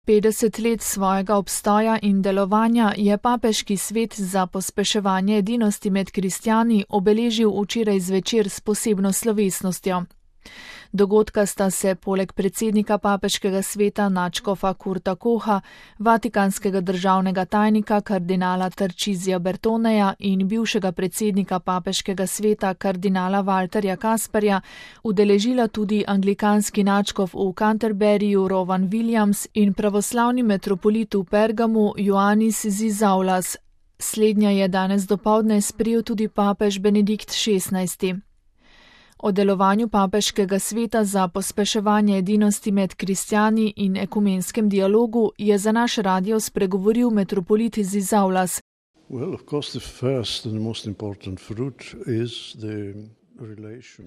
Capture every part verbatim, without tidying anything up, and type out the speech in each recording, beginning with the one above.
petdeset let svojega obstoja in delovanja je Papeški svet za pospeševanje edinosti med kristjani obeležil včeraj zvečer s posebno slovesnostjo. Dogodka sta se poleg predsednika Papeškega sveta nadškofa Kurta Koha, vatikanskega državnega tajnika kardinala Tarcisija Bertoneja in bivšega predsednika Papeškega sveta kardinala Walterja Kasperja udeležila tudi anglikanski nadškof v Canterburyju Rowan Williams in pravoslavni metropolit v Pergamu Ioannis Zizaulas. Slednja je danes dopoldne sprejel tudi papež Benedikt šestnajsti. O delovanju Papeškega sveta za pospeševanje edinosti med kristjani in ekumenskem dialogu je za naš radio spregovoril metropolit Zizaulas. Well, of course the first and most important fruit is the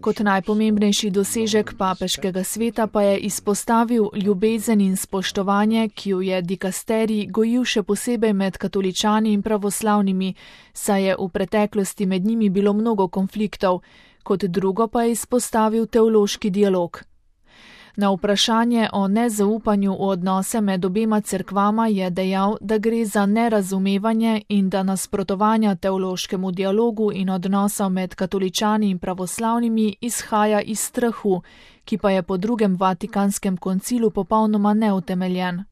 Kot najpomembnejši dosežek Papeškega sveta pa je izpostavil ljubezen in spoštovanje, ki jo je dikasterij gojil še posebej med katoličani in pravoslavnimi, saj je v preteklosti med njimi bilo mnogo konfliktov, kot drugo pa je izpostavil teološki dialog. Na vprašanje o nezaupanju v odnose med obema cerkvama je dejal, da gre za nerazumevanje in da nasprotovanja teološkemu dialogu in odnosov med katoličani in pravoslavnimi izhaja iz strahu, ki pa je po drugem Vatikanskem koncilu popolnoma neutemeljen.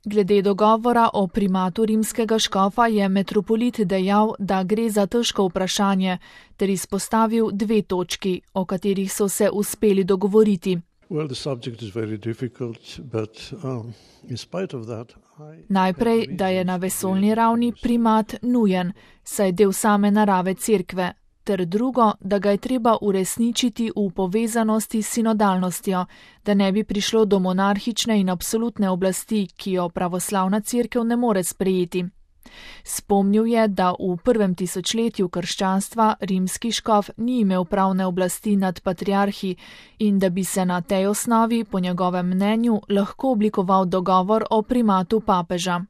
Glede dogovora o primatu rimskega škofa je metropolit dejal, da gre za težko vprašanje, ter izpostavil dve točki, o katerih so se uspeli dogovoriti. Well, the subject is very difficult, but um, in spite of that, I Najprej, da je na vesoljni ravni primat nujen, saj del same narave cerkve, ter drugo, da ga je treba uresničiti v povezanosti s sinodalnostjo, da ne bi prišlo do monarhične in absolutne oblasti, ki jo pravoslavna cerkev ne more sprejeti. Spomnil je, da v prvem tisočletju krščanstva rimski škof ni imel pravne oblasti nad patriarhi in da bi se na tej osnovi, po njegovem mnenju, lahko oblikoval dogovor o primatu papeža.